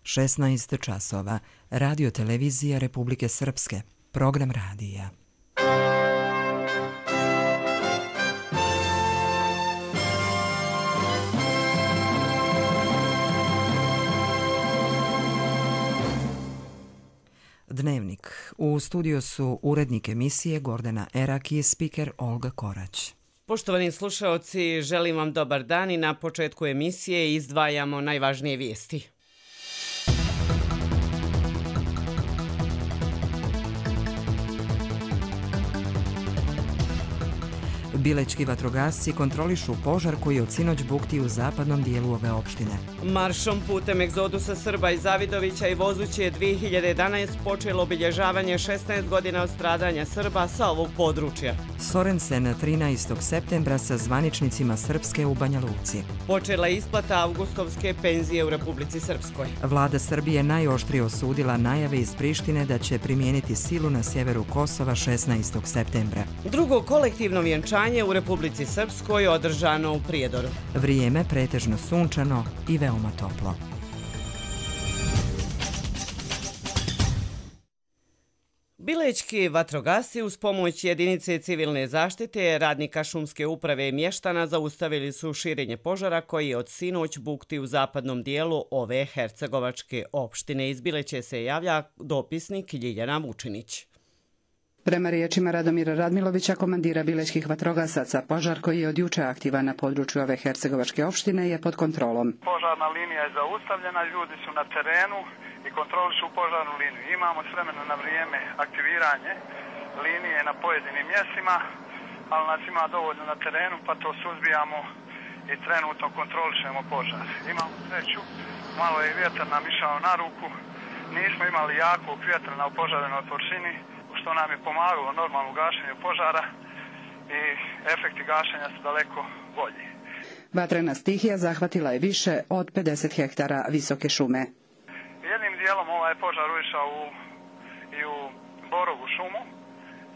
16 časova. Radio televizija Republike Srpske. Program radija. Dnevnik. U studiju su urednik emisije Gordana Erak i spiker Olga Korać. Poštovani slušaoci, želim vam dobar dan i na početku emisije izdvajamo najvažnije vijesti. Bilećki vatrogasci kontrolišu požar koji od sinoć bukti u zapadnom dijelu ove opštine. Maršom putem egzodusa Srba iz Zavidovića i Vozuće je 2011 počelo obilježavanje 16 godina od stradanja Srba sa ovog područja. Sorensen 13. septembra sa zvaničnicima Srpske u Banja Luci. Počela je isplata avgustovske penzije u Republici Srpskoj. Vlada Srbije najoštrije osudila najave iz Prištine da će primijeniti silu na sjeveru Kosova 16. septembra. Drugo kolektivno vjenčanje u Republici Srpskoj održano u Prijedoru. Vrijeme pretežno sunčano i veoma toplo. Bilećki vatrogasci uz pomoć jedinice civilne zaštite, radnika šumske uprave i mještana zaustavili su širenje požara koji od sinoć bukti u zapadnom dijelu ove hercegovačke opštine. Iz Bileće se javlja dopisnik Ljiljana Vučinić. Prema riječima Radomira Radmilovića, komandira bilećkih vatrogasaca, požar koji je od juče aktivan na području ove hercegovačke opštine je pod kontrolom. Požarna linija je zaustavljena, ljudi su na terenu i kontrolišu požarnu liniju. Imamo s vremena na vrijeme aktiviranje linije na pojedinim mjestima, ali nas ima dovoljno na terenu pa to suzbijamo i trenutno kontrolišemo požar. Imamo sreću, malo je vjetar nam išao na ruku, nismo imali jakog vjetra na opožarenoj površini, što nam je pomagalo normalno gašenju požara i efekti gašenja su daleko bolji. Vatrena stihija zahvatila je više od 50 hektara visoke šume. Jednim dijelom ovaj požar ušao i u Borovu šumu.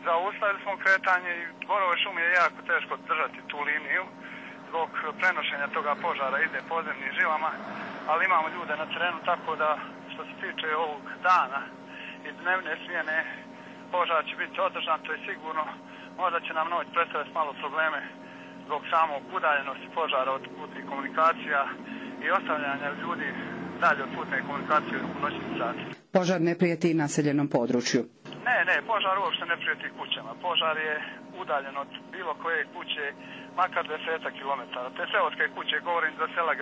Zaustavili smo kretanje i Borove šume je jako teško držati tu liniju. Zbog prenošenja toga požara ide podzemnim žilama, ali imamo ljude na terenu, tako da što se tiče ovog dana i dnevne smjene, požar će biti održan, to je sigurno. Možda će nam noć predstaviti malo probleme zbog samog udaljenosti požara od putnih komunikacija i ostavljanja ljudi dalje od putne komunikacije u noćnim satima. Požar ne prijeti naseljenom području. Ne, požar uopšte ne prijeti kućama. Požar je udaljen od bilo koje kuće, makar 10 kilometara. Te seoske kuće, govorim za sela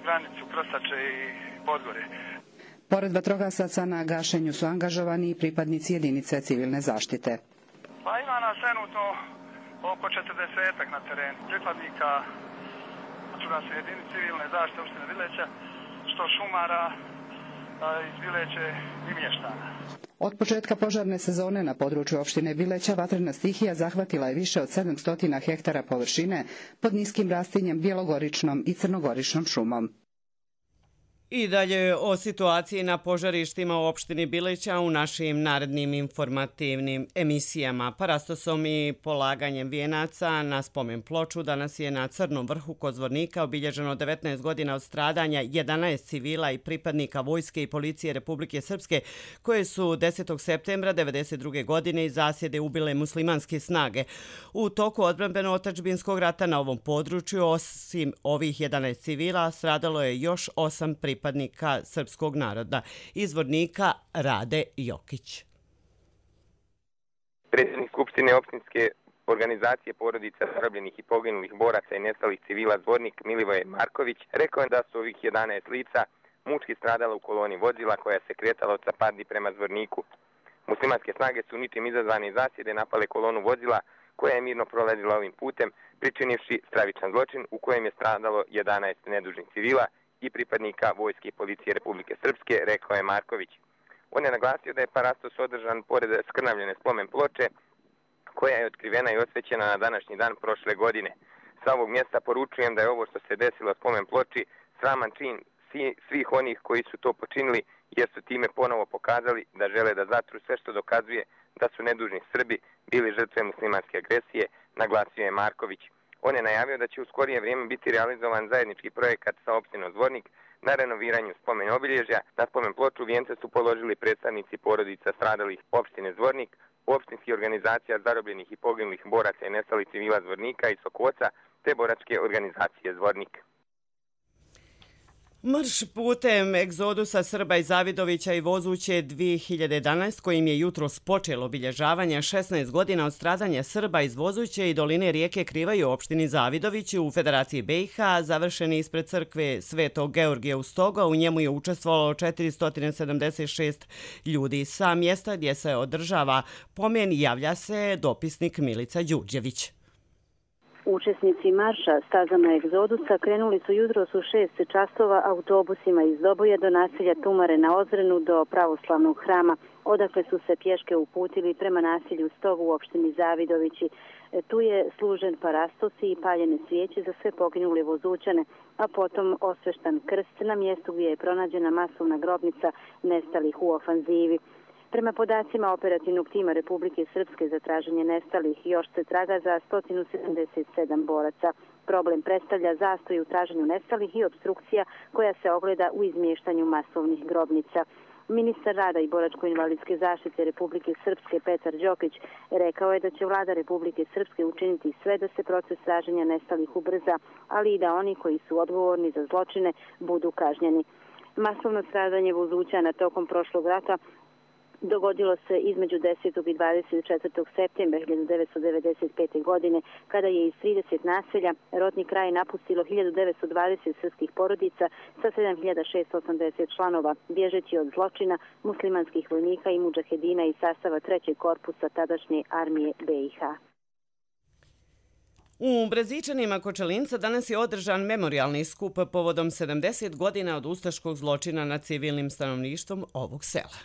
granicu Krstače i Podgorje. Pored vatrogasaca na gašenju su angažovani i pripadnici jedinice civilne zaštite. Pa ima nas trenutno oko 40 na terenu pripadnika vatrogasne jedinice civilne zaštite opštine Bileća, što šumara iz Bileće i mještana. Od početka požarne sezone na području opštine Bileća vatrena stihija zahvatila je više od 700 hektara površine pod niskim rastinjem bjelogoričnom i crnogoričnom šumom. I dalje o situaciji na požarištima u opštini Bileća u našim narednim informativnim emisijama. Parastosom i polaganjem vijenaca na spomen ploču danas je na Crnom vrhu kod Zvornika obilježeno 19 godina od stradanja 11 civila i pripadnika vojske i policije Republike Srpske koje su 10. septembra 1992. godine iz zasjede ubile muslimanske snage. U toku odbrambeno-otadžbinskog rata na ovom području, osim ovih 11 civila, stradalo je još 8 pripadnika srpskog naroda. Iz Zvornika Rade Jokić. Predsjednik Skupštine opštinske organizacije porodica zarobljenih i poginulih boraca i nestalih civila Zvornik Milivoje Marković rekao je da su ovih 11 lica mučki stradala u koloni vozila koja se kretala od Capardi prema Zvorniku. Muslimanske snage su ničim izazvane zasjede napale kolonu vozila koja je mirno prolazila ovim putem, pričinivši stravičan zločin u kojem je stradalo 11 nedužnih civila i pripadnika vojske i policije Republike Srpske, rekao je Marković. On je naglasio da je parastos održan pored skrnavljene spomen ploče, koja je otkrivena i osvećena na današnji dan prošle godine. Sa ovog mjesta poručujem da je ovo što se desilo spomen ploči sraman čin svih onih koji su to počinili, jer su time ponovo pokazali da žele da zatru sve što dokazuje da su nedužni Srbi bili žrtve muslimanske agresije, naglasio je Marković. On je najavio da će u skorije vrijeme biti realizovan zajednički projekat sa opštinom Zvornik na renoviranju spomen obilježja. Na spomen ploču vijence su položili predstavnici porodica stradalih opštine Zvornik, opštinskih organizacija zarobljenih i poginulih boraca i nestalih civila Zvornika i Sokoca, te boračke organizacije Zvornik. Marš putem egzodusa Srba iz Zavidovića i Vozuće 2011, kojim je jutros počelo obilježavanje 16 godina od stradanja Srba iz Vozuće i doline rijeke Krivaj u opštini Zavidović u Federaciji BiH, završen ispred crkve Svetog Georgija u Stoga. U njemu je učestvovalo 476 ljudi. Sa mjesta gdje se održava pomen javlja se dopisnik Milica Đurđević. Učesnici marša stazama egzodusa krenuli su jutros u 6 časova autobusima iz Doboja do naselja Tumare na Ozrenu do pravoslavnog hrama, odakle su se pješke uputili prema naselju Stogu u opštini Zavidovići. Tu je služen parastosi i paljene svijeće za sve poginule Vozućane, a potom osveštan krst na mjestu gdje je pronađena masovna grobnica nestalih u ofanzivi. Prema podacima operativnog tima Republike Srpske za traženje nestalih, još se traga za 177 boraca. Problem predstavlja zastoj u traženju nestalih i obstrukcija koja se ogleda u izmještanju masovnih grobnica. Ministar rada i boračko-invalidske zaštite Republike Srpske Petar Đokić rekao je da će vlada Republike Srpske učiniti sve da se proces traženja nestalih ubrza, ali i da oni koji su odgovorni za zločine budu kažnjeni. Masovno stradanje Vozućana tokom prošlog rata dogodilo se između 10. i 24. septembra 1995. godine, kada je iz 30 naselja rodni kraj napustilo 1920 srpskih porodica sa 7680 članova, bježeći od zločina muslimanskih vojnika i mudžahedina iz sastava 3. korpusa tadašnje armije BiH. U Brezičanima Kočelinca danas je održan memorijalni skup povodom 70 godina od ustaškog zločina nad civilnim stanovništvom ovog sela.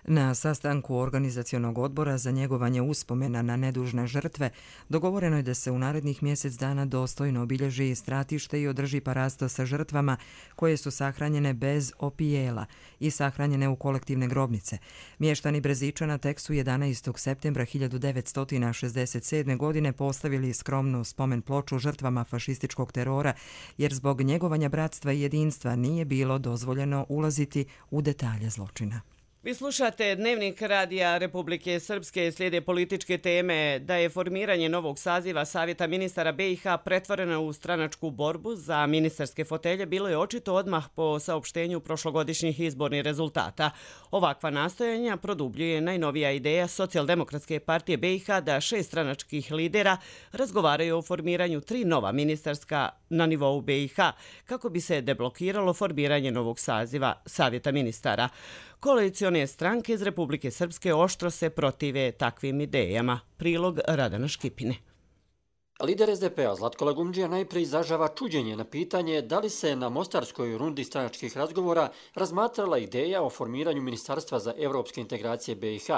Na sastanku organizacionog odbora za njegovanje uspomena na nedužne žrtve dogovoreno je da se u narednih mjesec dana dostojno obilježi stratište i održi parasto sa žrtvama koje su sahranjene bez opijela i sahranjene u kolektivne grobnice. Mještani Brezičana tek su 11. septembra 1967. godine postavili skromnu spomen ploču žrtvama fašističkog terora, jer zbog njegovanja bratstva i jedinstva nije bilo dozvoljeno ulaziti u detalje zločina. Vi slušate Dnevnik radija Republike Srpske. Slijede političke teme. Da je formiranje novog saziva Savjeta ministara BiH pretvoreno u stranačku borbu za ministarske fotelje bilo je očito odmah po saopštenju prošlogodišnjih izbornih rezultata. Ovakva nastojanja produbljuje najnovija ideja Socijaldemokratske partije BiH da 6 stranačkih lidera razgovaraju o formiranju 3 nova ministarska na nivou BiH kako bi se deblokiralo formiranje novog saziva Savjeta ministara. Koalicione stranke iz Republike Srpske oštro se protive takvim idejama. Prilog Radana Škipine. Lider SDP-a Zlatko Lagumdžija najprije izražava čuđenje na pitanje da li se na mostarskoj rundi stranačkih razgovora razmatrala ideja o formiranju Ministarstva za evropske integracije BiH,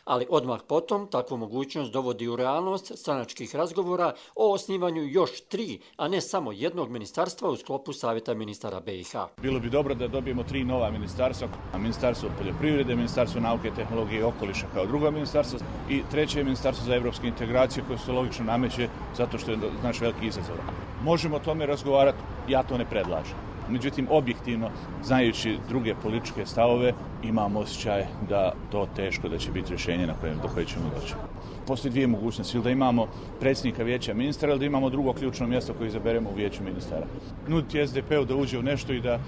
ali odmah potom takvu mogućnost dovodi u realnost stranačkih razgovora o osnivanju još 3, a ne samo jednog ministarstva u sklopu Savjeta ministara BiH. Bilo bi dobro da dobijemo 3 nova ministarstva, Ministarstvo poljoprivrede, Ministarstvo nauke, tehnologije i okoliša kao drugo ministarstvo i treće ministarstvo za evropske integracije koje se logično nameće zato što je naš veliki izazov. Možemo o tome razgovarati, ja to ne predlažem. Međutim, objektivno, znajući druge političke stavove, imam osjećaj da to teško da će biti rješenje do koje ćemo doći. Postoji 2 mogućnosti, ili da imamo predsjednika vijeća ministara, ili da imamo drugo ključno mjesto koje izaberemo u vijeću ministara. Nuditi SDP-u da uđe u nešto i da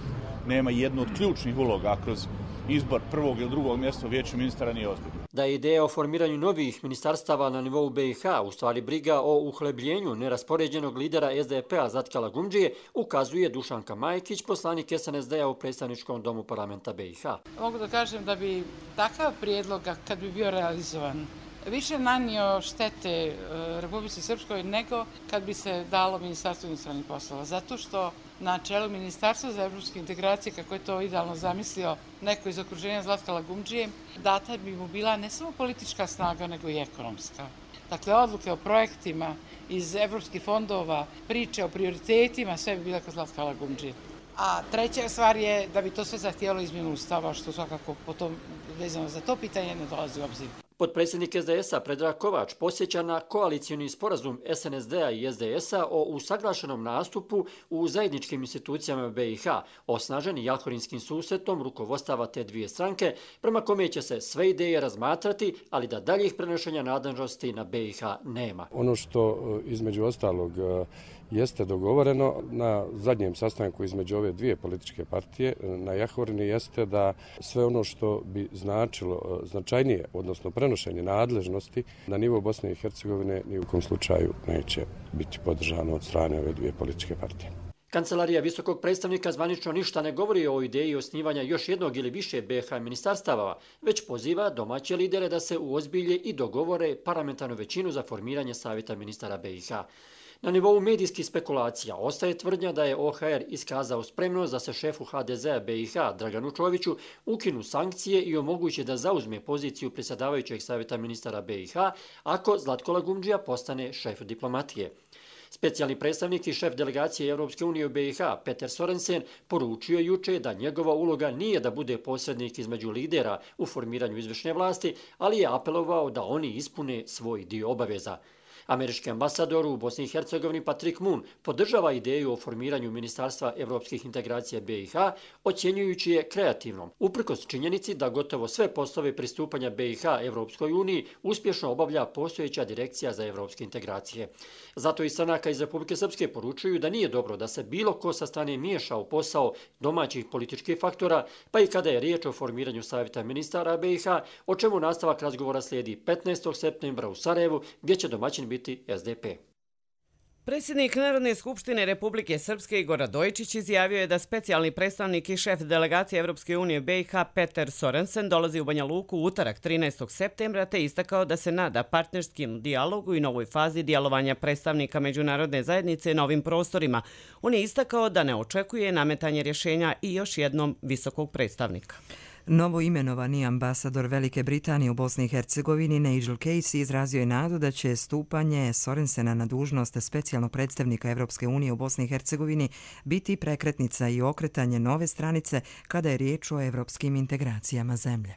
nema jednu od ključnih uloga kroz izbor prvog ili drugog mjesta u vijeću ministara nije ozbiljno. Da je ideja o formiranju novih ministarstava na nivou BiH u stvari briga o uhlebljenju neraspoređenog lidera SDP-a Zlatka Lagumdžije, ukazuje Dušanka Majkić, poslanik SNSD-a u predstavničkom domu parlamenta BiH. Mogu da kažem da bi takav prijedlog, kad bi bio realizovan, više nanio štete Republici Srpskoj nego kad bi se dalo Ministarstvo inostranih poslova. Zato što na čelu Ministarstva za evropske integracije, kako je to idealno zamislio neko iz okruženja Zlatka Lagumdžije, data bi mu bila ne samo politička snaga, nego i ekonomska. Dakle, odluke o projektima iz evropskih fondova, priče o prioritetima, sve bi bila kod Zlatka Lagumdžije. A treća stvar je da bi to sve zahtijelo izmjenu ustava, što svakako potom vezano za to pitanje ne dolazi u obzir. Potpredsjednik SDS-a Predrag Kovač posjeća na koalicioni sporazum SNSD-a i SDS-a o usaglašenom nastupu u zajedničkim institucijama BiH, osnaženi jalhorinskim susretom rukovodstava te dvije stranke, prema kome će se sve ideje razmatrati, ali da daljih prenošenja nadležnosti na BiH nema. Ono što između ostalog jeste dogovoreno na zadnjem sastanku između ove dvije političke partije na Jahorini jeste da sve ono što bi značilo značajnije, odnosno prenošenje nadležnosti na nivo Bosne i Hercegovine ni u kom slučaju neće biti podržano od strane ove dvije političke partije. Kancelarija visokog predstavnika zvanično ništa ne govori o ideji osnivanja još jednog ili više BiH ministarstava, već poziva domaće lidere da se uozbilje i dogovore parlamentarnu većinu za formiranje savjeta ministara BiH. Na nivou medijskih spekulacija ostaje tvrdnja da je OHR iskazao spremnost da se šefu HDZ-a BiH Draganu Čoviću ukinu sankcije i omoguće da zauzme poziciju predsjedavajućeg savjeta ministara BiH ako Zlatko Lagumdžija postane šef diplomatije. Specijalni predstavnik i šef delegacije Europske unije u BiH Peter Sorensen poručio juče da njegova uloga nije da bude posrednik između lidera u formiranju izvršne vlasti, ali je apelovao da oni ispune svoj dio obaveza. Američki ambasador u Bosni i Hercegovini Patrick Moon podržava ideju o formiranju Ministarstva evropskih integracija BiH, ocjenjujući je kreativnom, uprkos činjenici da gotovo sve poslove pristupanja BiH Evropskoj uniji uspješno obavlja postojeća direkcija za evropske integracije. Zato i stranaka iz Republike Srpske poručuju da nije dobro da se bilo ko sa strane miješa u posao domaćih političkih faktora, pa i kada je riječ o formiranju savjeta ministara BiH, o čemu nastavak razgovora slijedi 15. septembra u Sarajevu, gdje će domaćin biti SDP. Predsjednik Narodne skupštine Republike Srpske Igor Radojičić izjavio je da specijalni predstavnik i šef delegacije Evropske unije BiH Peter Sorensen dolazi u Banja Luku u utorak 13. septembra te istakao da se nada partnerskim dijalogu i novoj fazi djelovanja predstavnika međunarodne zajednice na ovim prostorima. On je istakao da ne očekuje nametanje rješenja i još jednom visokog predstavnika. Novo imenovani ambasador Velike Britanije u Bosni i Hercegovini Nigel Casey izrazio je nadu da će stupanje Sorensena na dužnost specijalnog predstavnika Evropske unije u Bosni i Hercegovini biti prekretnica i okretanje nove stranice kada je riječ o evropskim integracijama zemlje.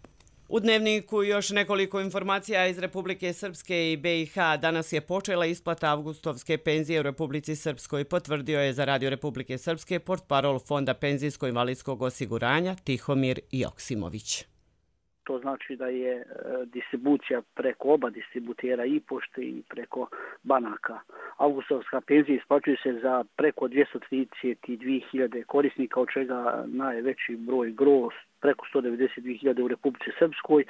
U Dnevniku još nekoliko informacija iz Republike Srpske i BiH. Danas je počela isplata avgustovske penzije u Republici Srpskoj, potvrdio je za Radio Republike Srpske portparol Fonda penzijsko-invalidskog osiguranja Tihomir Joksimović. To znači da je distribucija preko oba distributera i pošte i preko banaka. Avgustovska penzija isplaćuje se za preko 232.000 korisnika, od čega najveći broj gros preko 192.000 u Republici Srpskoj,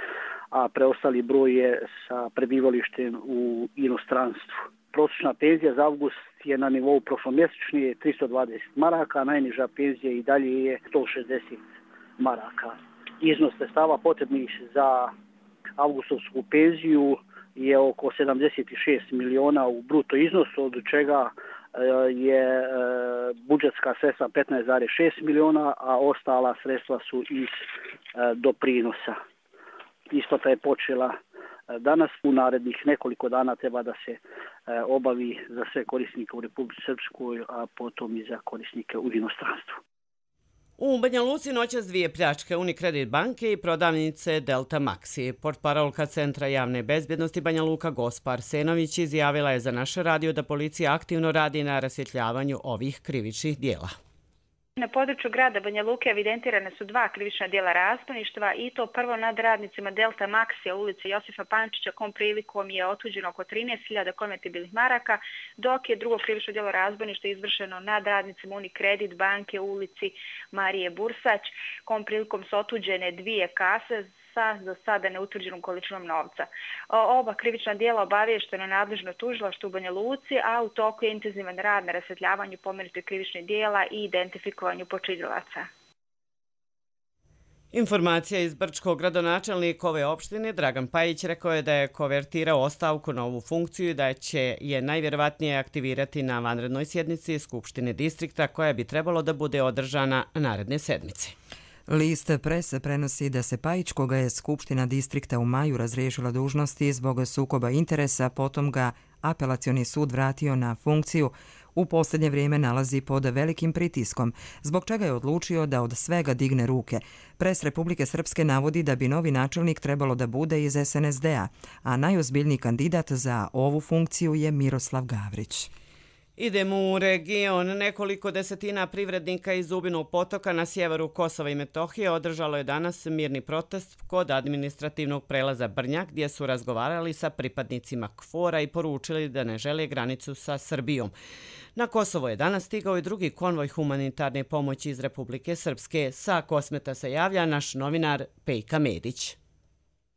a preostali broj je sa prebivalištem u inostranstvu. Prosječna penzija za avgust je na nivou prošlomjesečnije 320 maraka, a najniža penzija i dalje je 160 maraka. Iznos sredstava potrebnih za avgustovsku penziju je oko 76 miliona u bruto iznosu, od čega je budžetska sredstva 15,6 miliona, a ostala sredstva su iz doprinosa. Isplata je počela danas, u narednih nekoliko dana treba da se obavi za sve korisnike u Republici Srpskoj, a potom i za korisnike u inostranstvu. U Banja Luci noćas dvije pljačke Unicredit banke i prodavnice Delta Maxi. Portparolka Centra javne bezbjednosti Banja Luka Gospa Arsenović izjavila je za naš radio da policija aktivno radi na rasvjetljavanju ovih krivičnih dijela. Na području grada Banja Luke evidentirane su dva krivična djela razbojništva i to prvo nad radnicima Delta Maxi u ulici Josifa Pančića, kom prilikom je otuđeno oko 13.000 konvertibilnih maraka, dok je drugo krivično djelo razbojništva izvršeno nad radnicima Unicredit banke u ulici Marije Bursać, kom prilikom su otuđene dvije kase sa do sada neutvrđenom količinom novca. Oba krivična djela obaviješteno nadležno tužilaštvo u Banja Luci, a u toku je intenzivan rad na rasvjetljavanju pomenutih krivičnih djela i identifikovanju počinilaca. Informacija iz Brčkog. Gradonačelnik ove opštine Dragan Pajić rekao je da je konvertirao ostavku na ovu funkciju i da će je najvjerovatnije aktivirati na vanrednoj sjednici Skupštine distrikta koja bi trebalo da bude održana naredne sedmice. List prese prenosi da se Pajić, koga je Skupština distrikta u maju razriješila dužnosti zbog sukoba interesa, potom ga apelacioni sud vratio na funkciju, u posljednje vrijeme nalazi pod velikim pritiskom, zbog čega je odlučio da od svega digne ruke. Pres Republike Srpske navodi da bi novi načelnik trebalo da bude iz SNSD-a, a najozbiljniji kandidat za ovu funkciju je Miroslav Gavrić. Idemo u region. Nekoliko desetina privrednika iz Zubinog potoka na sjeveru Kosova i Metohije održalo je danas mirni protest kod administrativnog prelaza Brnjak, gdje su razgovarali sa pripadnicima KFOR-a i poručili da ne žele granicu sa Srbijom. Na Kosovo je danas stigao i drugi konvoj humanitarne pomoći iz Republike Srpske. Sa Kosmeta se javlja naš novinar Pejka Medić.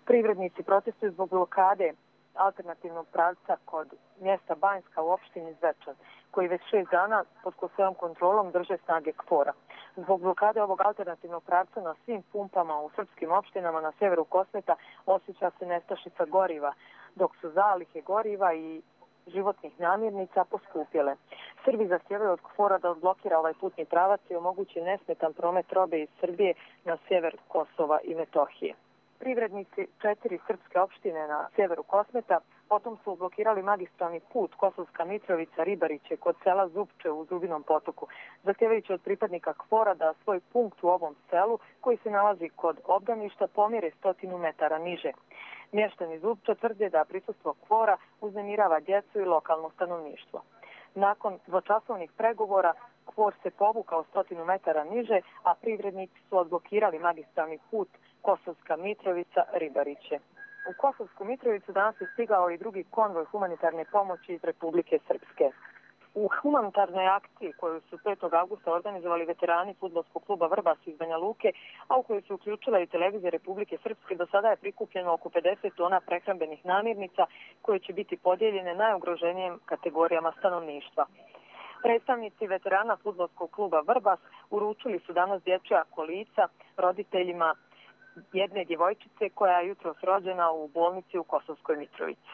Privrednici protestuju zbog blokade alternativnog pravca kod mjesta Banjska u opštini Zvečan, koji već 6 dana pod svojom kontrolom drže snage KFOR-a. Zbog blokade ovog alternativnog pravca na svim pumpama u srpskim opštinama na sjeveru Kosmeta osjeća se nestašica goriva, dok su zalihe goriva i životnih namirnica poskupjele. Srbi zahtijevaju od KFOR-a da odblokira ovaj putni pravac i omogući nesmetan promet robe iz Srbije na sjever Kosova i Metohije. Privrednici 4 srpske opštine na sjeveru Kosmeta potom su blokirali magistralni put Kosovska Mitrovica-Ribariće kod sela Zupče u Zubinom potoku, zahtjevajući od pripadnika KFOR-a da svoj punkt u ovom selu, koji se nalazi kod obdaništa, pomjere 100 metara niže. Mještani Zupča tvrde da prisustvo KFOR-a uznemirava djecu i lokalno stanovništvo. Nakon dvočasovnih pregovora KFOR se povukao 100 metara niže, a privrednici su odblokirali magistralni put Kosovska Mitrovica-Ribariće. U Kosovsku Mitrovicu danas je stigao i drugi konvoj humanitarne pomoći iz Republike Srpske. U humanitarnoj akciji koju su 5. augusta organizovali veterani fudbalskog kluba Vrbas iz Banja Luke, a u kojoj se uključila i televizija Republike Srpske, do sada je prikupljeno oko 50 tona prehrambenih namirnica koje će biti podijeljene najugroženijim kategorijama stanovništva. Predstavnici veterana fudbalskog kluba Vrbas uručili su danas dječja kolica roditeljima jedne djevojčice koja je jutros rođena u bolnici u Kosovskoj Mitrovici.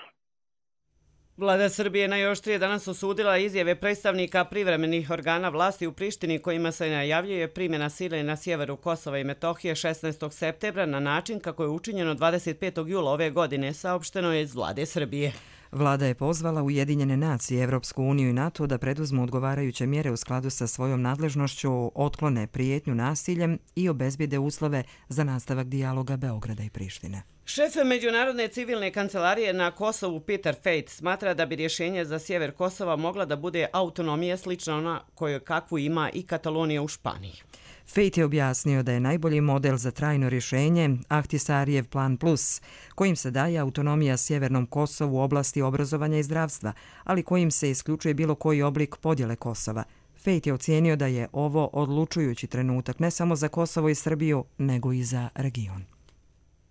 Vlada Srbije najoštrije danas osudila izjave predstavnika privremenih organa vlasti u Prištini kojima se najavljuje primjena sile na sjeveru Kosova i Metohije 16. septembra na način kako je učinjeno 25. jula ove godine, saopšteno je iz vlade Srbije. Vlada je pozvala Ujedinjene nacije, Evropsku uniju i NATO da preduzmu odgovarajuće mjere u skladu sa svojom nadležnošću, otklone prijetnju nasiljem i obezbijede uslove za nastavak dijaloga Beograda i Prištine. Šef Međunarodne civilne kancelarije na Kosovu Peter Fejt smatra da bi rješenje za sjever Kosova mogla da bude autonomija slična ona koju kakvu ima i Katalonija u Španiji. Fejt je objasnio da je najbolji model za trajno rješenje Ahtisarijev plan plus, kojim se daje autonomija sjevernom Kosovu u oblasti obrazovanja i zdravstva, ali kojim se isključuje bilo koji oblik podjele Kosova. Fejt je ocijenio da je ovo odlučujući trenutak ne samo za Kosovo i Srbiju, nego i za region.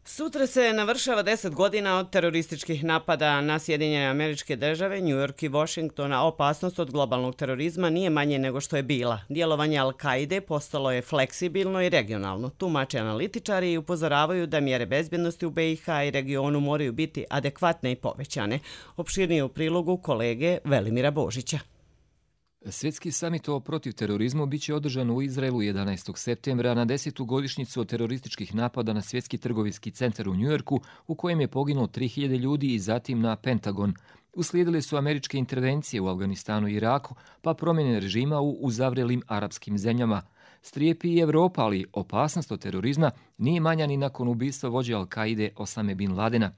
Sutra se navršava 10 godina od terorističkih napada na Sjedinjene Američke Države, New York i Washington, a opasnost od globalnog terorizma nije manje nego što je bila. Djelovanje Al-Kaide postalo je fleksibilno i regionalno. Tumače analitičari i upozoravaju da mjere bezbjednosti u BiH i regionu moraju biti adekvatne i povećane. Opširnije u prilogu kolege Velimira Božića. Svjetski samit o protiv terorizmu biće održan u Izraelu 11. septembra na 10. godišnjicu od terorističkih napada na Svjetski trgovinski centar u Njujorku, u kojem je poginulo 3000 ljudi i zatim na Pentagon. Uslijedile su američke intervencije u Afganistanu i Iraku, pa promjene režima u uzavrelim arapskim zemljama. Strijepi i Evropa, ali opasnost od terorizma nije manja ni nakon ubistva vođe Al-Kaide Osame bin Ladena.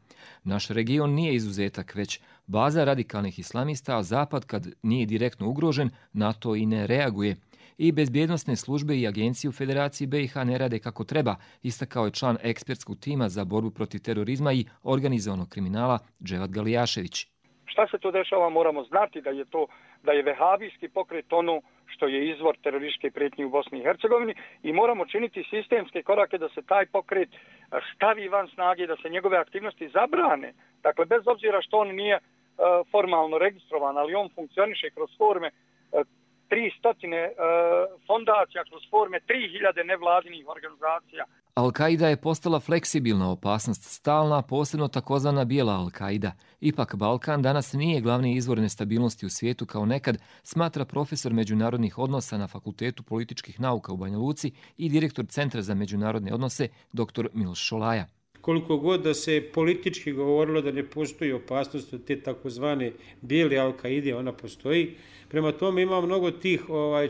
Naš region nije izuzetak, već baza radikalnih islamista, a Zapad, kad nije direktno ugrožen, na to i ne reaguje. I bezbjednosne službe i agencije u Federaciji BiH ne rade kako treba, istakao je član ekspertskog tima za borbu protiv terorizma i organizovanog kriminala Dževat Galijašević. Šta se to dešava, moramo znati da je vehabijski pokret ono što je izvor terorističke prijetnje u Bosni i Hercegovini i moramo činiti sistemske korake da se taj pokret stavi van snage, da se njegove aktivnosti zabrane. Dakle, bez obzira što on nije formalno registrovan, ali on funkcioniše kroz forme 300 fondacija, kroz forme 3000 nevladinih organizacija. Al-Kaida je postala fleksibilna opasnost, stalna, posebno takozvana bijela Al-Kaida. Ipak Balkan danas nije glavni izvor nestabilnosti u svijetu kao nekad, smatra profesor međunarodnih odnosa na Fakultetu političkih nauka u Banja Luci i direktor Centra za međunarodne odnose dr. Miloš Šolaja. koliko god da se politički govorilo da ne postoji opasnost od te takozvane bijele Al-Kaide, ona postoji. Prema tome ima mnogo tih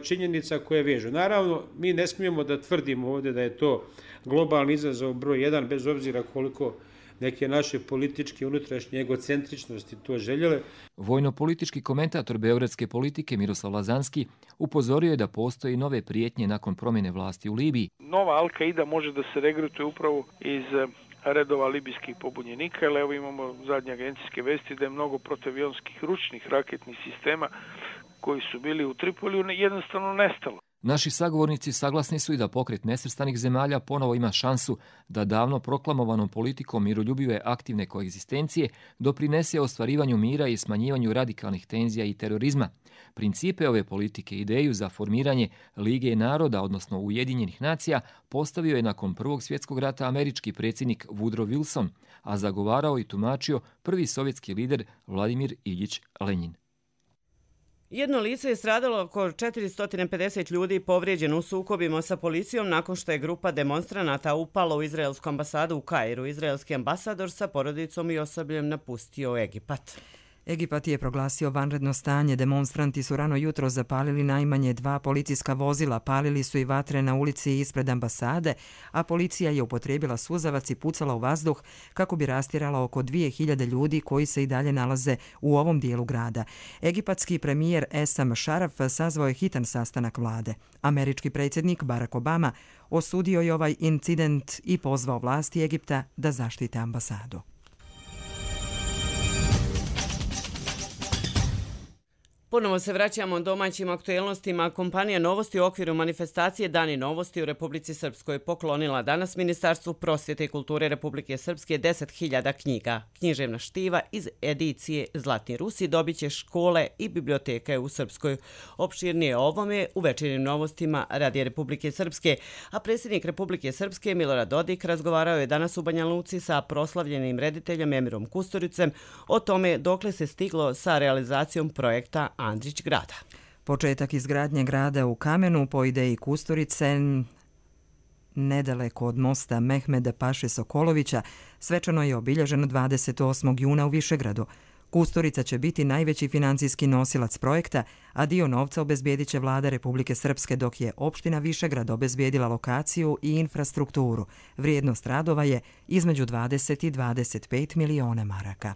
činjenica koje vežu. Naravno, mi ne smijemo da tvrdimo ovdje da je to globalni izazov broj 1, bez obzira koliko neke naše političke unutrašnje egocentričnosti to željele. Vojno-politički komentator beogradske politike Miroslav Lazanski upozorio je da postoji nove prijetnje nakon promjene vlasti u Libiji. Nova Al-Kaida može da se regrutuje upravo iz redova libijskih pobunjenika, jer evo imamo zadnje agencijske vesti da je mnogo protivionskih ručnih raketnih sistema koji su bili u Tripoliju jednostavno nestalo. Naši sagovornici saglasni su i da pokret nesvrstanih zemalja ponovo ima šansu da davno proklamovanom politikom miroljubive aktivne koegzistencije doprinese ostvarivanju mira i smanjivanju radikalnih tenzija i terorizma. Principe ove politike i ideju za formiranje Lige naroda, odnosno Ujedinjenih nacija, postavio je nakon Prvog svjetskog rata američki predsjednik Woodrow Wilson, a zagovarao i tumačio prvi sovjetski lider Vladimir Iljić Lenjin. Jedno lice je stradalo, oko 450 ljudi povrijeđeno u sukobima sa policijom nakon što je grupa demonstranata upala u izraelsku ambasadu u Kairu. Izraelski ambasador sa porodicom i osobljem napustio Egipat. Egipat je proglasio vanredno stanje. Demonstranti su rano jutro zapalili najmanje 2 policijska vozila, palili su i vatre na ulici ispred ambasade, a policija je upotrijebila suzavac i pucala u vazduh kako bi rastjerala oko 2000 ljudi koji se i dalje nalaze u ovom dijelu grada. Egipatski premijer Esam Šaraf sazvao je hitan sastanak vlade. Američki predsjednik Barack Obama osudio je ovaj incident i pozvao vlasti Egipta da zaštite ambasadu. Ponovo se vraćamo domaćim aktuelnostima. Kompanija Novosti u okviru manifestacije Dani Novosti u Republici Srpskoj poklonila danas Ministarstvu prosvjete i kulture Republike Srpske 10.000 knjiga. Književna štiva iz edicije Zlatni Rusi dobit će škole i biblioteke u Srpskoj. Opširnije o ovome u večernjim novostima Radija Republike Srpske, a predsjednik Republike Srpske Milorad Dodik razgovarao je danas u Banja Luci sa proslavljenim rediteljem Emirom Kusturicem o tome dokle se stiglo sa realizacijom projekta Andrić grada. Početak izgradnje grada u kamenu po ideji Kusturice nedaleko od mosta Mehmeda Paše Sokolovića svečano je obilježeno 28. juna u Višegradu. Kusturica će biti najveći financijski nosilac projekta, a dio novca obezbijedit će vlada Republike Srpske, dok je opština Višegrad obezbijedila lokaciju i infrastrukturu. Vrijednost radova je između 20 i 25 miliona maraka.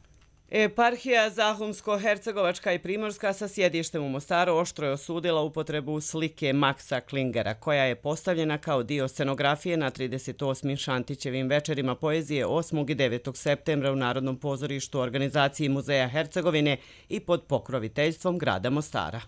Eparhija Zahumsko-Hercegovačka i Primorska sa sjedištem u Mostaru oštro je osudila upotrebu slike Maksa Klingera, koja je postavljena kao dio scenografije na 38. Šantićevim večerima poezije 8. i 9. septembra u Narodnom pozorištu organizaciji Muzeja Hercegovine i pod pokroviteljstvom grada Mostara.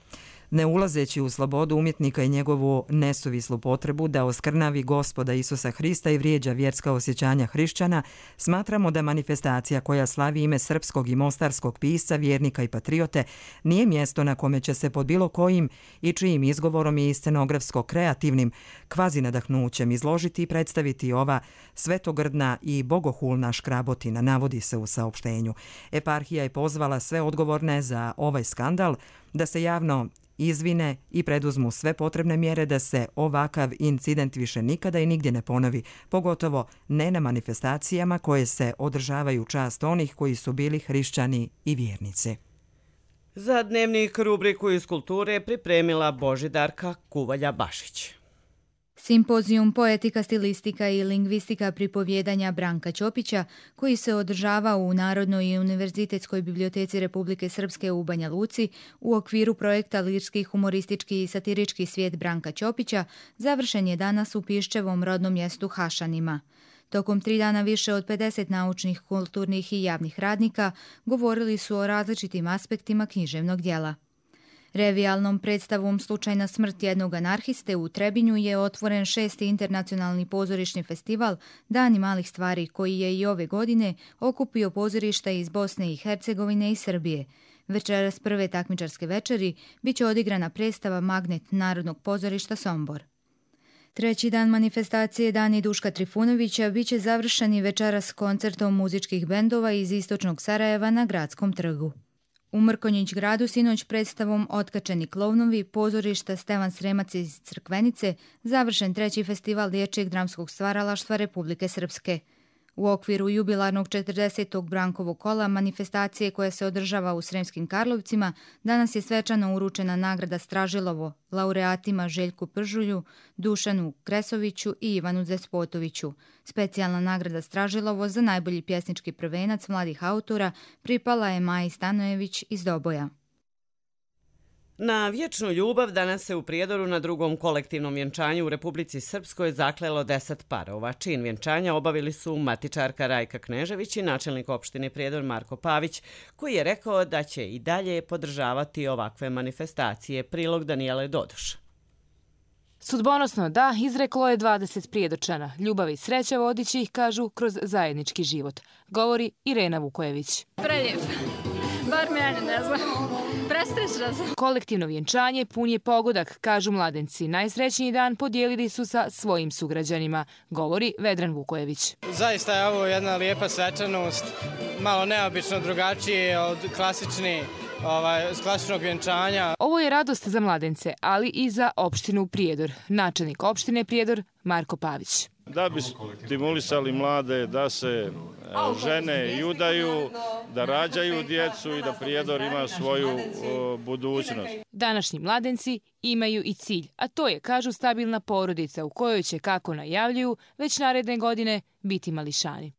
Ne ulazeći u slobodu umjetnika i njegovu nesuvislu potrebu da oskrnavi Gospoda Isusa Hrista i vrijeđa vjerska osjećanja hrišćana, smatramo da manifestacija koja slavi ime srpskog i mostarskog pisca, vjernika i patriote nije mjesto na kome će se pod bilo kojim i čijim izgovorom i scenografsko-kreativnim kvazinadahnućem izložiti i predstaviti ova svetogrdna i bogohulna škrabotina, navodi se u saopštenju. Eparhija je pozvala sve odgovorne za ovaj skandal da se javno izvine i preduzmu sve potrebne mjere da se ovakav incident više nikada i nigdje ne ponovi, pogotovo ne na manifestacijama koje se održavaju u čast onih koji su bili hrišćani i vjernici. Za dnevnik rubriku iz kulture pripremila Božidarka Kuvalja-Bašić. Simpozijum Poetika, stilistika i lingvistika pripovjedanja Branka Ćopića, koji se održava u Narodnoj i univerzitetskoj biblioteci Republike Srpske u Banja Luci u okviru projekta Lirski, humoristički i satirički svijet Branka Ćopića, završen je danas u Piščevom rodnom mjestu Hašanima. Tokom 3 dana više od 50 naučnih, kulturnih i javnih radnika govorili su o različitim aspektima književnog djela. Revijalnom predstavom Slučajna smrt jednog anarhiste u Trebinju je otvoren 6. internacionalni pozorišni festival Dani malih stvari, koji je i ove godine okupio pozorišta iz Bosne i Hercegovine i Srbije. Večeras prve takmičarske večeri biće odigrana predstava Magnet Narodnog pozorišta Sombor. Treći dan manifestacije Dani Duška Trifunovića biće završeni večeras koncertom muzičkih bendova iz istočnog Sarajeva na Gradskom trgu. U Mrkonjić gradu sinoć predstavom Otkačeni klovnovi pozorišta Stevan Sremac iz Crkvenice završen 3. festival dječjeg dramskog stvaralaštva Republike Srpske. U okviru jubilarnog 40. Brankovog kola manifestacije koja se održava u Sremskim Karlovcima, danas je svečano uručena nagrada Stražilovo laureatima Željku Pržulju, Dušanu Kresoviću i Ivanu Despotoviću. Specijalna nagrada Stražilovo za najbolji pjesnički prvenac mladih autora pripala je Maji Stanojević iz Doboja. Na vječnu ljubav danas se u Prijedoru na drugom kolektivnom vjenčanju u Republici Srpskoj zaklelo 10 parova. Čin vjenčanja obavili su matičarka Rajka Knežević i načelnik opštine Prijedor Marko Pavić, koji je rekao da će i dalje podržavati ovakve manifestacije. Prilog Danijele Dodoš. Sudbonosno da, izreklo je 20 Prijedočana. Ljubav i sreća vodit će ih, kažu, kroz zajednički život. Govori Irena Vukojević. Preljep. Bar mene, ne znam. Prestrešna sam. Kolektivno vjenčanje pun je pogodak, kažu mladenci. Najsrećniji dan podijelili su sa svojim sugrađanima, govori Vedran Vukojević. Zaista je ovo jedna lijepa svečanost, malo neobično drugačije od klasičnog vjenčanja. Ovo je radost za mladence, ali i za opštinu Prijedor. Načelnik opštine Prijedor Marko Pavić. Da bi stimulisali mlade da se žene i udaju, da rađaju djecu i da Prijedor ima svoju budućnost. Današnji mladenci imaju i cilj, a to je, kažu, stabilna porodica u kojoj će, kako najavljuju, već naredne godine biti mališani.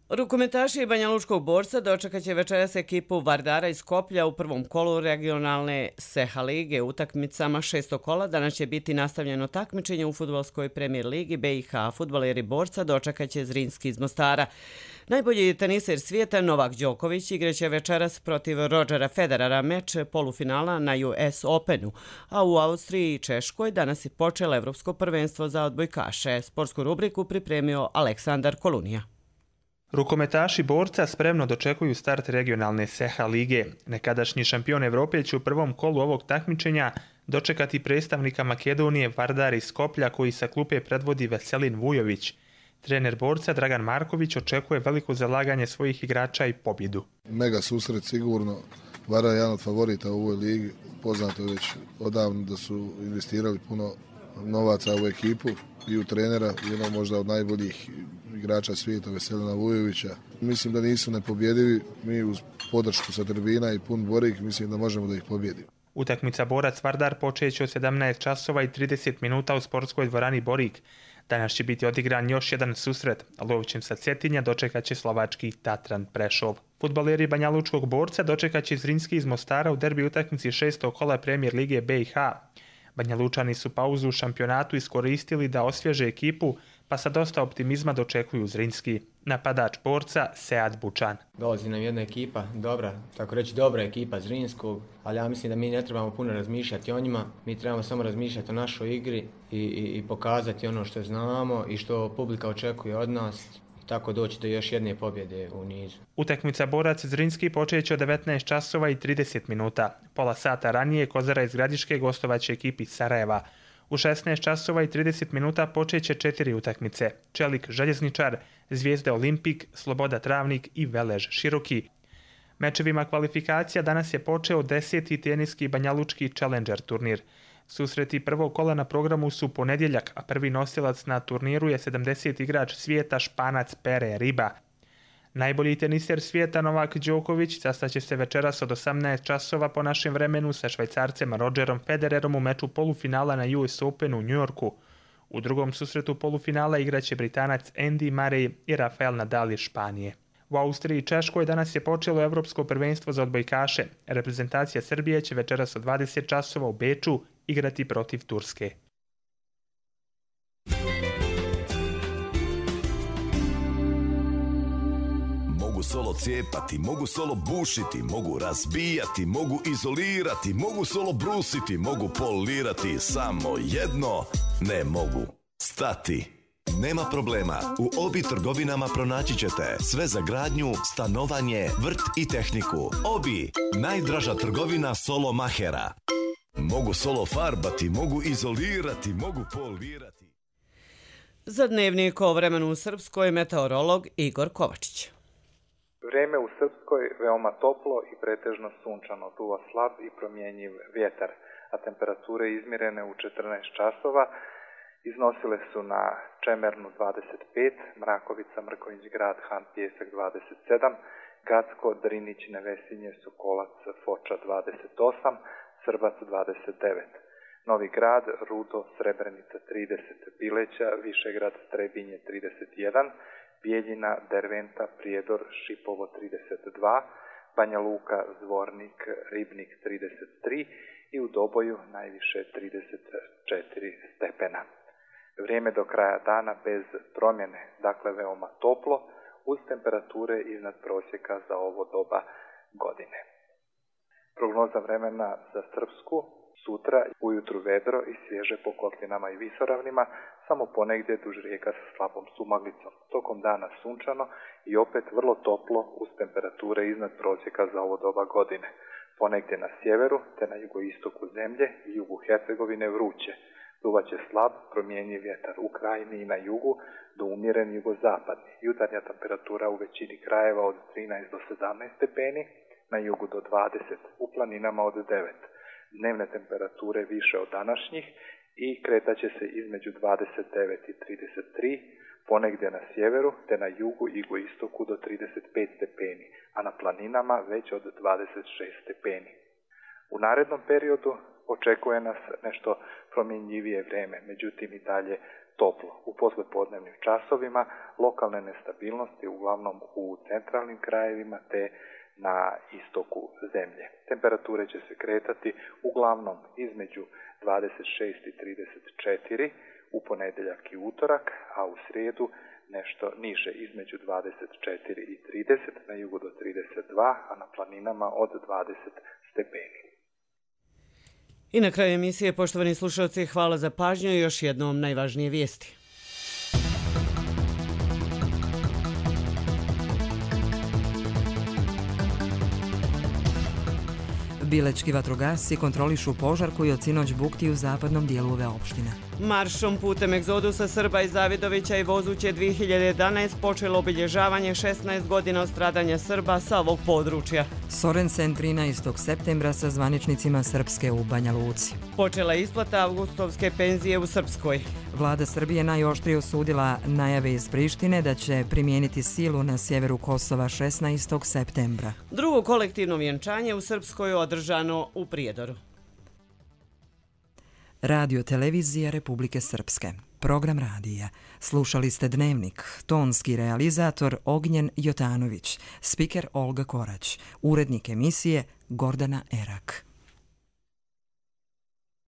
Rukometaši Banja Lučkog Borca dočekat će večeras ekipu Vardara iz Skoplja u prvom kolu regionalne Seha lige. Utakmicama 6. kola danas će biti nastavljeno takmičenje u fudbalskoj premijer ligi BiH. Fudbaleri Borca dočekat će Zrinski iz Mostara. Najbolji teniser svijeta Novak Đoković igraće večeras protiv Rodgera Federera meč polufinala na US Openu, a u Austriji i Češkoj danas je počelo Evropsko prvenstvo za odbojkaše. Sportsku rubriku pripremio Aleksandar Kolunija. Rukometaši Borca spremno dočekuju start regionalne Seha lige. Nekadašnji šampion Evrope će u prvom kolu ovog takmičenja dočekati predstavnika Makedonije Vardar iz Skoplja, koji sa klupe predvodi Veselin Vujović. Trener Borca Dragan Marković očekuje veliko zalaganje svojih igrača i pobjedu. Mega susret sigurno. Vardar je jedan od favorita u ovoj ligi. Poznato je već odavno da su investirali puno novaca u ekipu i u trenera, jedno možda od najboljih igrača svijeta Veselina Vujovića. Mislim da nisu nepobjedivi, mi uz podršku sa tribina i pun Borik mislim da možemo da ih pobjedimo. Utakmica Borac Vardar počeće od 17 časova i 30 minuta u sportskoj dvorani Borik. Danas će biti odigran još jedan susret. Lovćem sa Cetinja dočekat će slovački Tatran Prešov. Fudbaleri Banja Lučkog Borca dočekat će Zrinski iz Mostara u derbi utakmici 6. kola premijer lige BiH. Banja Lučani su pauzu u šampionatu iskoristili da osvježe ekipu, pa sa dosta optimizma dočekuju Zrinski. Napadač Borca Sead Bučan. Dolazi nam jedna ekipa, dobra ekipa Zrinskog, ali ja mislim da mi ne trebamo puno razmišljati o njima, mi trebamo samo razmišljati o našoj igri i pokazati ono što znamo i što publika očekuje od nas. Tako doći do još jedne pobjede u nizu. Utakmica Borac Zrinski počeće od 19 časova i 30 minuta. Pola sata ranije Kozara iz Gradiške gostovaće ekipi Sarajeva. U 16 časova i 30 minuta počeće 4 utakmice. Čelik Željezničar, Zvijezda Olimpik, Sloboda Travnik i Velež Široki. Mečevima kvalifikacija danas je počeo 10. teniski Banjalučki Challenger turnir. Susreti prvog kola na programu su ponedjeljak, a prvi nosilac na turniru je 70 igrač svijeta Španac Pere Riba. Najbolji teniser svijeta Novak Đoković sastaće se večeras od 18 časova po našem vremenu sa Švajcarcem Rodgerom Federerom u meču polufinala na US Openu u Njujorku. U drugom susretu polufinala igraće Britanac Andy Murray i Rafael Nadal iz Španije. U Austriji i Češkoj danas je počelo Evropsko prvenstvo za odbojkaše. Reprezentacija Srbije će večeras od 20 časova u Beču igrati protiv Turske. Mogu solo cijepati, mogu solo bušiti, mogu razbijati, mogu izolirati, mogu solo brusiti, mogu polirati, samo jedno ne mogu. Stati. Nema problema, u Obi trgovinama pronaći ćete sve za gradnju, stanovanje, vrt i tehniku. Obi, najdraža trgovina solo mahera. Mogu solo farbati, mogu izolirati, mogu polirati. Za Dnevnik o vremenu u Srpskoj meteorolog Igor Kovačić. Vrijeme u Srpskoj veoma toplo i pretežno sunčano, duva slab i promjenjiv vjetar. a temperature izmjerene u 14 časova iznosile su na Čemernu 25, Mrakovica, Mrkonjić Grad, Han Pijesak 27, Gacko, Drinić, Nevesinje, Sokolac, Foča 28, Srbac 29, Novi Grad, Rudo, Srebrenica 30, Bileća, Višegrad, Trebinje 31, Bijeljina, Derventa, Prijedor, Šipovo 32, Banja Luka, Zvornik, Ribnik 33 i u Doboju najviše 34 stepena. Vrijeme do kraja dana bez promjene, dakle veoma toplo, uz temperature iznad prosjeka za ovo doba godine. Prognoza vremena za Srpsku: sutra ujutru vedro i svježe po kotlinama i visoravnima, samo ponegdje duž rijeka sa slabom sumaglicom. Tokom dana sunčano i opet vrlo toplo uz temperature iznad prosjeka za ovo doba godine. Ponegdje na sjeveru te na jugoistoku zemlje i jugu Hercegovine vruće. Duvaće slab, promjenjiv vjetar u krajini i na jugu do umjeren jugozapadni. Jutarnja temperatura u većini krajeva od 13 do 17 stepeni, na jugu do 20, u planinama od 9. Dnevne temperature više od današnjih i kretaće se između 29 i 33, ponegdje na sjeveru te na jugu i jugoistoku do 35 stepeni, a na planinama već od 26 stepeni. U narednom periodu očekuje nas nešto promjenjivije vrijeme, međutim i dalje toplo. U poslijepodnevnim časovima lokalne nestabilnosti uglavnom u centralnim krajevima te na istoku zemlje. Temperature će se kretati uglavnom između 26 i 34 u ponedjeljak i utorak, a u srijedu nešto niže između 24 i 30, na jugu do 32, a na planinama od 20 stepeni. I na kraju emisije, poštovani slušalci, hvala za pažnju i još jednom najvažnije vijesti. Bilečki vatrogasci kontrolišu požar koji od sinoć bukti u zapadnom dijelu ove opštine. Maršom putem egzodusa Srba iz Zavidovića i Vozuće 2011 počelo obilježavanje 16 godina od stradanja Srba sa ovog područja. Sorensen 13. septembra sa zvaničnicima Srpske u Banja Luci. Počela je isplata avgustovske penzije u Srpskoj. Vlada Srbije najoštrije osudila najave iz Prištine da će primijeniti silu na sjeveru Kosova 16. septembra. Drugo kolektivno vjenčanje u Srpskoj je održano u Prijedoru. Radio televizija Republike Srpske. Program radija. Slušali ste Dnevnik. Tonski realizator Ognjen Jotanović. Spiker Olga Korać. Urednik emisije Gordana Erak.